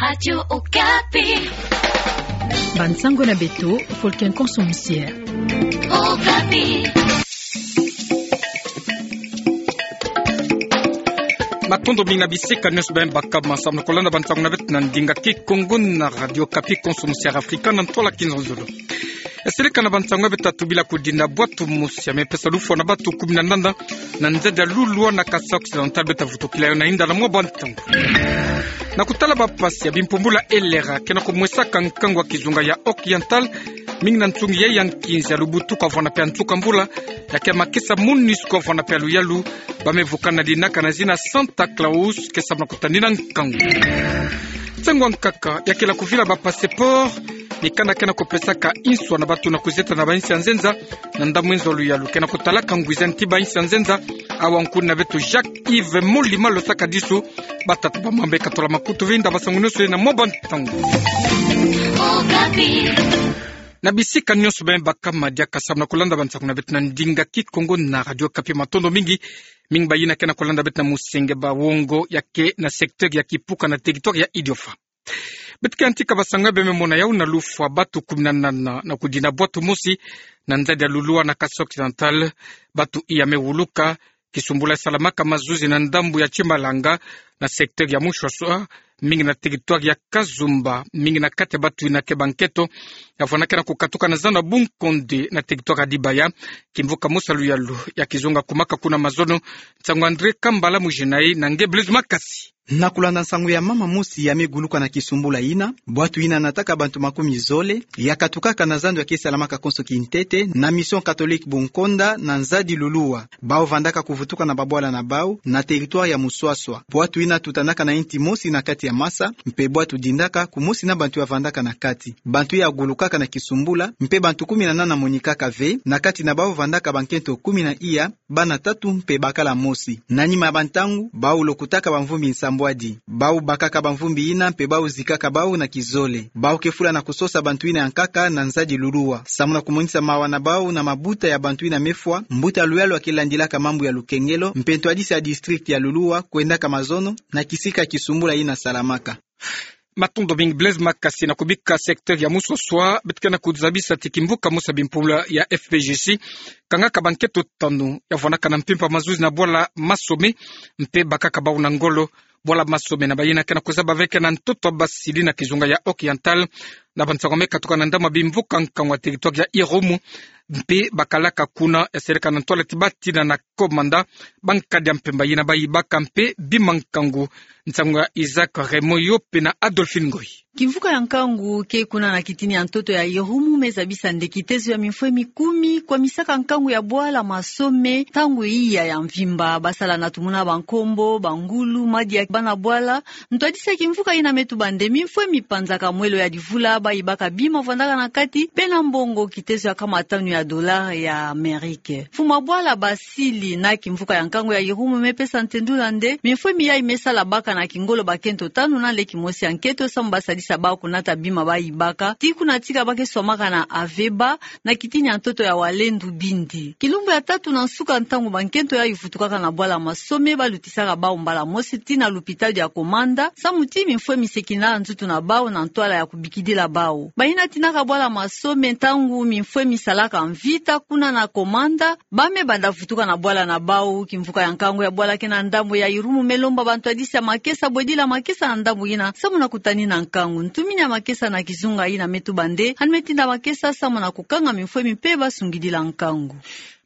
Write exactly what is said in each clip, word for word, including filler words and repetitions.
Radio Okapi. Bansango na beto, folke nkonso musière. Okapi. Matondo mingi na bisika nionso beno baka masamu na kolanda bansango na beto na ndinga Kikongo na Radio Okapi, nkonso musière Afrika, na ntwala kizololo. Esereka na bansango ya beto, tatu bila kudinda bwatu mosi ya mepesa lufwa na batu kumi na nana na nzadi ya Lulua na Kasaï Occidental beta vutukila yo na inda na mwa bantangu. Na kutala bampasi ya bimpumbula Elera, ke na kumwesaka nkangu ya kizunga ya Occidental, mingi na nsungi ya nkinzi ya lubutuku, avwanda pe nsuka mvula, ya ke makesa MONUSCO, avwanda pe luyalu, ba me vukana dinaka na zina Santa Claus, ke samu na kutadina nkangu. Nsangu ya nkaka, ya ke la kuvila ba passeport, mikanda ke na kupesaka inswa na batu na kuzieta na ba insi ya nzenza, na ndambu nzo luyalu ke na kutalaka ngwiza nti ba insi ya nzenza, awa nkuni na beto Jacques Yves Molima lo saka disu, batata bamama, beka tola makutu vinda bansango nionso na mwa bantangu. Na bisika nionso beno baka madiaka samu na kolanda bansango na beto na ndinga Kikongo na Radio Okapi, matondo mingi. Mingi bayina ke na kolanda beto na musenge ba wongo ya ke na secteur ya Kipuka na territoire ya Idiofa. Beto ke yantika bansango ya beno me mona yau na lufwa batu kumi na nana na kudinda bwatu mosi na nzadi ya Lulua na Kasaï Occidental, batu iya me wuluka, kisumbula salamaka mazuzi na ndambu ya Tchimalanga, na secteur ya Muswaswa, mingi na territoire ya Kazumba, mingi na kati ya batu ina ke bankento, ya vwanda ke na kukatuka na zana Bunkonde na territoire ya Dibaya, kimvuka mosi ya luyalu ya kizunga kumaka kuna mazono. Nsangu André Kambala Mujinai na nge Blaise Makasi. Na kulanda nsangu ya mama mosi ya me guluka na kisumbula ina, bwatu ina nataka bantu makumi zole, ya katukaka na zando ya ke salamaka konso kintete, na Mission Catholique Bunkonda, na nzadi Lulua. Bau vandaka kuvutuka na babwala na bau, na territoire ya Muswaswa. Bwatu ina tutanaka na inti mosi na kati ya masa, mpe bwatu dindaka, kumosi na bantu ya vandaka na kati. Bantu ya gulukaka na kisumbula, mpe bantu kumi na nana monikaka ve, na kati na bau vandaka bankento kumi na iya, bana tatu mpe bakala mosi. Na nima ya bantangu, bau lokotaka bamvumbi nsambwadi. Bau bakaka bamvumbi ina mpe bau zikaka bau na kizole. Bau ke fula na kusosa bantu ina ya nkaka na nzadi Lulua. Samu na kumonisa mawa na bau na mabuta ya bantu ina me fwa, mbuta luyalu ya ke landilaka mambu ya lukengelo, mpe ntwadisi ya district ya Lulua, kwendaka mazono, na kisika kisumbula ina salamaka. Matondo mingi Blaise Makasi. Na kubika secteur ya Muswaswa, beto ke na kuzabisa ti kimvuka mosi ya bimpumbula ya F P J C kangaka bankento tanu ya vwandaka na mpimpa mazuzi na bwala Masome, mpe bakaka bau na ngolo. Bwala Masome na bayina ke na kuzaba ve ke na ntoto ya Basili na kizunga ya Occidental, na bansangu me katuka na ndambu ya bimvuka nkangu ya territoire ya Irumu, mpe bakalaka kuna. Esereka na ntwala ti batina na commandant, bankadi ya mpemba yina bayibaka mpe bima nkangu. Nsangu ya Isaac Raymond Yope na Adolphine Ngoyi. Kimvuka ya nkangu ke kuna na kitini ya ntoto ya Irumu me zabisa nde kitezo ya mimfwemi kumi kwamisaka nkangu ya bwala Masome, ntangu iya ya mvimba, basala na tumuna bankombo, bangulu, madi ya bana bwala. Ntwadisi ya kimvuka ina me tuba nde mimfwemi panzaka mwelo ya livula, bayibaka bima vwandaka na kati, mpe na mbongo kitezo ya nkama tanu ya dollars ya Amérique. Mfumu ya bwala Basili na kimvuka ya nkangu ya Irumu me pesa ntendula nde mimfwemi yayi me sala baka na kingolo bakento tanu na leki mosi ya nkento samu basadisa bau kunata bima bayibaka, ti kuna tika ba ke swamaka na aveba, na kitini ya ntoto ya Walendu Bindi. Kilumbu ya tatu na nsuka, ntangu bankento yayi vutukaka na bwala Masome, balutisaka bau mbala mosi ti na lupitalu ya Komanda, samu ti mimfwemi sekina nzutu na bau na ntwala ya kubikidila bau. Bayina tinaka bwala Masome, ntangu mimfwemi salaka mvita kuna na Komanda, ba me banda vutuka na bwala na bau. Kimvuka ya nkangu ya bwala ke na ndambu ya Irumu me lomba bantwadisi ya makesa bwedila makesa na ndambu yina, samu na kutanina nkangu. Ntumini ya makesa na kizunga yina me tuba nde, hani me tinda makesa samu na kukanga mimfwemi mpe basungidila nkangu.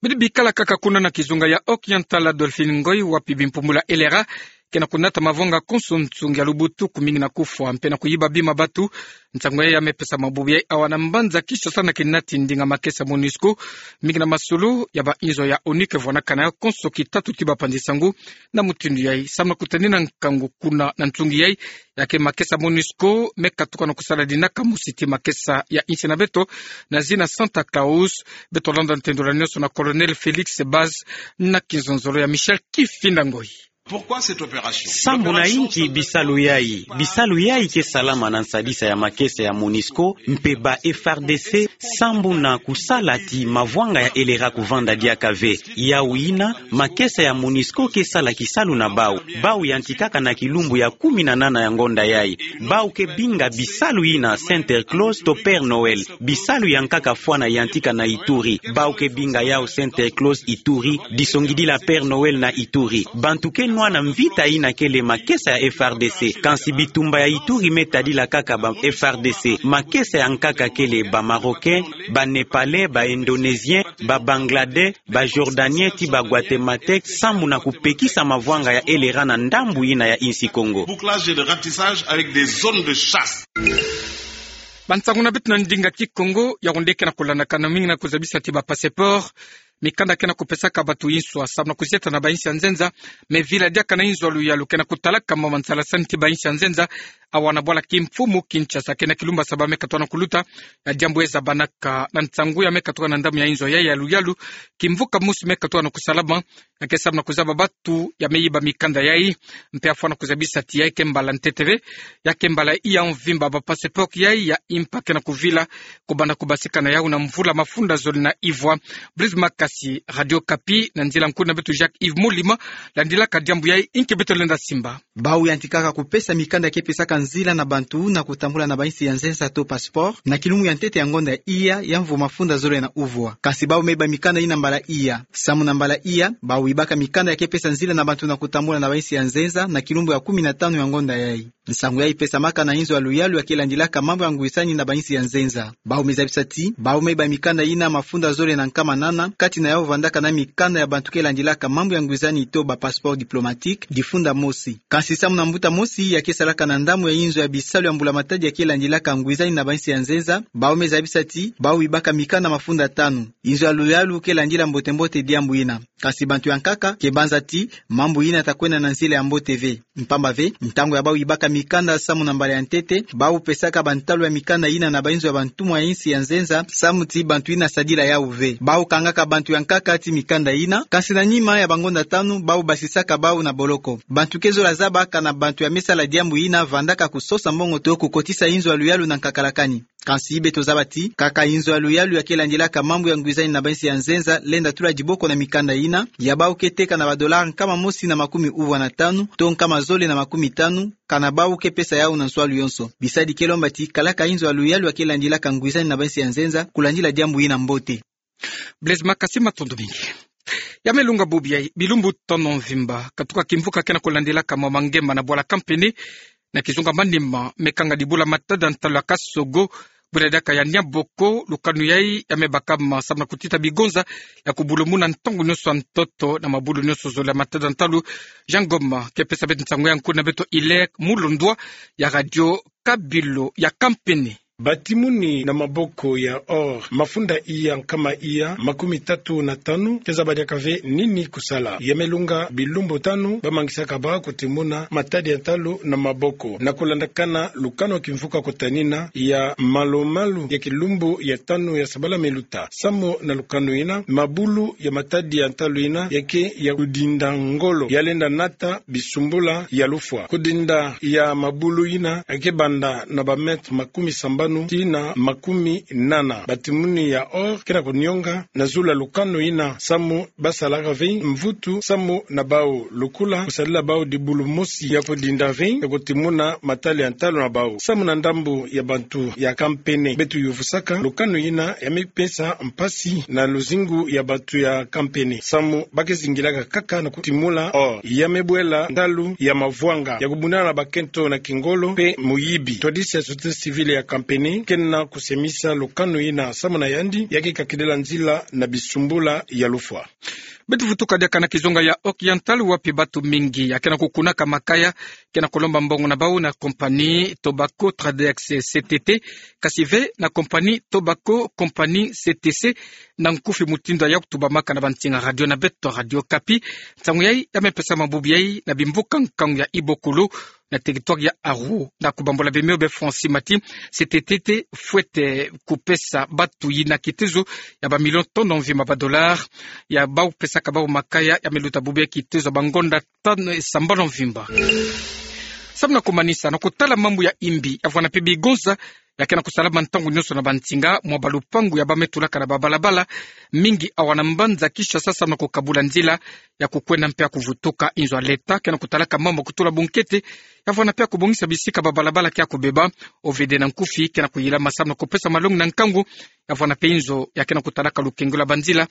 Bidi bikala kaka kuna na kizunga ya Occidental, Adolphine Ngoyi, wapi bimpumbula Elera ke na kunata mavonga konso nsungi ya lubutuku, mingi na kufwa mpe na kuyiba bima batu. Nsangu yayi ya me pesa mabubu yayi awa na mbanza Kinshasa na kinati ndinga makesa MONUSCO, mingi na masolo ya ba inzo ya ONU ke vwandaka na yo konso kitatu ti bapanzi nsangu. Na mutindu yayi, samu na kutanina nkangu kuna na nsungi yayi, ya ke makesa MONUSCO me katuka na kusala dinaka mosi ti makesa ya insi na beto, na zina Santa Claus. Beto landa ntendula nionso na Colonel Félix Baz na kinzonzolo ya Michel Kifinda Ngoyi. Pourquoi cette opération? Sambu na inki bisalu yai? Bisalu yai ke salama na nsadisa ya makesa ya MONUSCO mpe ba F R D C, sambu na kusala ti mavwanga ya elera kuvanda diaka ve. Yau yina, makesa ya MONUSCO ke sala kisalu na bau. Bau yantikaka na kilumbu ya kumi na nana ya ngonda yai. Bau ke binga bisalu yina Santa Claus to Père Noël. Bisalu yankaka fwana yantika na Ituri. Bau ke binga yau Santa Claus Ituri, disongidila Père Noël na Ituri. Bantu ke nwana mvita yina kele makesa ya F R D C. Kansi bitumba ya Ituri me tadila kaka ba F R D C. Makesa yankaka kele ba Marocains, ba Népalais, ba Indonésiens, ba Bangladesh, ba Jordaniens ti ba Guatémaltèques, sambu na kupekisa mavwanga ya elera na ndambu yina ya insi Kongo. Bouclage de ratissage avec des zones de chasse. Bansangu na beto na ndinga Kikongo, ya wonde ke na kulandakana mingi na kuzabisa ti ba passeport, mikanda ke na kupesaka bantu inswa, sambu na kuzieta na ba insi ya nzenza, me vila diaka na inzo ya luyalu ke na kutalaka mama nsalasani ti ba insi ya nzenza, awa na bwala kimfumu Kinshasa, ke na kilumbu saba me katoka na kuluta, ya diambu ezabanaka na nsangu ya me katoka na ndambu ya inzo ya, ya luyalu, kimvuka mosi me katoka na kusalama, ya ke sambu na kuzaba bantu ya me yiba mikanda yai, mpe afwana kuzabisa ti yai ke mbala ntete ve, ya ke mbala iya mvimba ba passeport yai ya impa ke na kuvila, kubanda kubasika na yau na mvula mafunda zole na ivwa. Blaise Makasi, Radio Okapi, na nzila nkulu na beto Jacques Yves Mulima, landilaka diambu yai, inki beto lenda simba. Bau yantikaka kupesa mikanda ke pesaka nzila na bantu na kutambula na ba insi ya nzenza to passeport, na kilumbu ya ntete ya ngonda ya iya ya mvu mafunda zole na uvwa. Kansi bau me yiba mikanda yina mbala iya. Samu na mbala iya, bau yibaka mikanda ya ke pesa nzila na bantu na kutambula na ba insi ya nzenza na kilumbu ya kumi na tanu ya ngonda yai. Nsangu yai pesamaka na inzo ya luyalu ya ke landilaka mambu ya ngwisani na ba insi ya nzenza. Bau me zabisa ti, bau me yiba mikanda yina mafunda zole na nkama nana, kati na yau vandaka na mikanda ya bantu ke landilaka mambu ya ngwisani to ba passeport diplomatique, difunda mosi. Kansi samu na mbuta mosi ya ke salaka na ndambu ya inzo ya bisalu ya mbula matadi ya ke landilaka ngwisani na ba insi ya nzenza, bau me zabisa ti, bau yibaka mikanda mafunda tanu. Inzo ya luyalu ke landila mbote-mbote diambu yina. Kansi bantu ya nkaka ke banza ti, mambu yina ta kwenda na nzila ya mbote ve. Mpamba ve, ntangu ya bau yibaka mikanda samu na mbala ya ntete, bau pesaka bantalu ya mikanda yina na ba inzo ya bantumwa ya insi ya nzenza, samu ti bantu yina sadila yau ve. Bau kangaka bantu ya nkaka ti mikanda yina, kansi na nima ya ba ngonda tanu, bau basisaka bau na boloko. Bantu ke zola zaba kana bantu ya me sala diambu yina vandaka kusosa mbongo to kukotisa inzo ya luyalu na nkakalakani. Kansi beto zaba ti, kaka inzo ya luyalu ya ke landilaka mambu ya ngwisani na ba insi ya nzenza lenda tula diboko na mikanda yina, ya bau ke teka na ba dollars nkama mosi na makumi uvwa na tanu, to nkama zole na makumi tanu, kana bau ke pesa yau na nswalu yonso. Bisadi ke lomba ti, kalaka inzo ya luyalu ya ke landilaka ngwisani na ba insi ya nzenza, kulandila diambu yina mbote. Blaise Makasi, matondo mingi. Ya me lunga bubu yai, bilumbu tanu mvimba, katuka kimvuka ke na kulandilaka mwa mangema na bwala Kampene, na kizunga manima, me kanga dibula matadi ya ntalu ya Kasogo, bula diaka ya Niamboko, lukanu yai ya me bakama samu na kutita bigonza ya kubulumuna ntangu nyonso ya ntoto na mabulu nyonso zole ya matadi ya ntalu. Jean Goma ke pesa beto nsangu yai, nkulu na beto Hilaire Mulondwa ya Radio Kabylie ya Kampene. Batimuni na maboko ya or mafunda iya nkama iya makumi tatu na tanu, ke zaba diaka ve nini kusala. Ya me lunga bilumbu tanu bamangisaka bau kutimuna matadi ya ntalu na maboko. Na kulandakana lukanu ya kimvuka kutanina ya malu-malu ya kilumbu ya tanu ya sabala me luta. Samu na lukanu yina, mabulu ya matadi ya ntalu yina ya ke ya kudinda ngolo, ya lenda nata bisumbula ya lufwa. Kudinda ya mabulu yina ya ke banda na ba mètres makumi sambanu tii na makumi nana. Batimuni ya or ke na kunionga na zulu ya lukanu yina, samu basalaka ve mvutu samu na bau lukula, kusadila bau dibulu mosi ya kudinda ve, ya kutimuna matadi ya ntalu na bau. Samu na ndambu ya bantu ya Kampene, beto yuvusaka lukanu yina ya me pesa mpasi na luzingu ya bantu ya Kampene, samu ba ke zingilaka kaka na kutimula or. Ya me bwela ntalu ya mavwanga ya kubundana na bakento na kingolo mpe muyibi. Twadisi ya société civile ya Kampene ke na kusemisa lukanu yina, samu na yandi ya ke kakidila nzila na bisumbula ya lufwa. Beto vutuka diaka na kizunga ya Oriental, wapi bantu mingi ya ke na kukunaka makaya ke na kulomba mbongo na bau na compagnie Tobacco Tradex C T T, kasi ve na compagnie Tobacco, compagnie C T C, na nkufi mutindu ya kutubamaka na bansinga radio na beto Radio Okapi. Nsangu yai ya me pesama bubu yai na bimvuka nkangu ya Ibokolo, na territoire ya Aru. Na kubambola bemio be Francis Mati, C T T fwete kupesa batu yina kitezo ya ba million tono mvimba ba dollars, ya bau pesaka bau makaya ya me luta bubu ya kitezo ya ba ngonda tano sambanu mvimba. Samu na kumanisa, na kutala mambu ya imbi, ya vwanda mpe bigonza ya ke na kusalama ntangu nyonso na bansinga, mwa balupangu ya ba me tulaka na babalabala, mingi awa na mbanza Kinshasa, samu na kukabula nzila ya kukwenda mpe ya kuvutuka. Inzo ya leta ke na kutalaka mambu ya kutula bunkete ya vwanda mpe ya kubongisa bisika babalabala ke ya kubeba. O V D na nkufi ke na kuyilama samu na kupesa malongi na nkangu ya vwanda mpe inzo ya ke na kutalaka lukengolo ya banzila.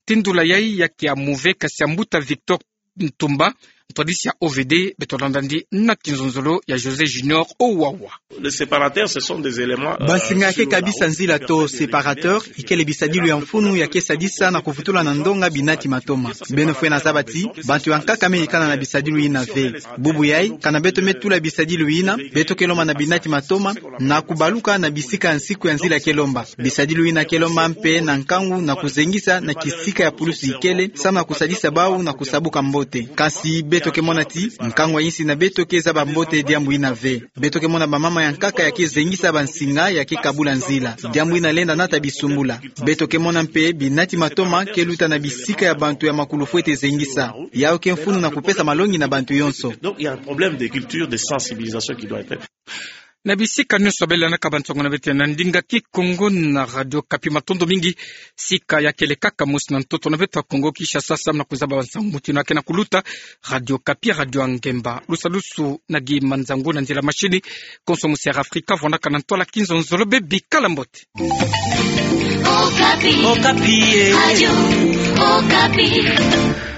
Tindula yai ya ke ya move, kasi ya mbuta Victor Ntumba, ntwadisi ya O V D, beto landa ndi na kinzonzolo ya José Junior Owawa. Les séparateurs, ce sont des éléments, euh, bansinga ya ke kabisa nzila to séparateur, ikele bisadilu ya mfunu ya ke sadisa na kuvutula na ndonga binati matoma. Beno fwene zaba ti bantu ya nkaka me ikana na bisadilu yina ve. Bubu yai, kana beto me tula bisadilu yina, beto ke lomba na binati matoma na kubaluka na bisika ya nsiku ya nzila ke lomba. Bisadilu yina ke lomba mpe na nkangu na kuzengisa na kisika ya pulusi ikele, samu na kusadisa bau na kusabuka mbote. Kasi beto ke mona ti nkangu ya insi na beto ke zaba mbote diambu yina ve. Beto ke mona bamama ya nkaka ya ke zengisa bansinga ya ke kabula nzila. Diambu yina lenda nata bisumbula. Beto ke mona mpe binati matoma ke luta na bisika ya bantu ya makulu fwete zengisa. Yau ke mfunu na kupesa malongi na bantu yonso. Donc, il y a un problème de culture, de sensibilisation qui doit être faite. Na bisika nyonso bele na kabantongo na beto na ndinga Kikongo na Radio Okapi, matondo mingi. Sika ya kele kaka mosi na ntoto na beto ya Kongo Kinshasa, samu na kuzaba bansangu mutindu ya ke na kuluta. Radio Okapi, radio ya ngemba. Lusalusu na Guy Manzangu na nzila machine. Konso musi ya Afrika vwandaka na ntwala, kinzonzolo be bikala mbote. Okapi. Okapi, eh. Radio Okapi.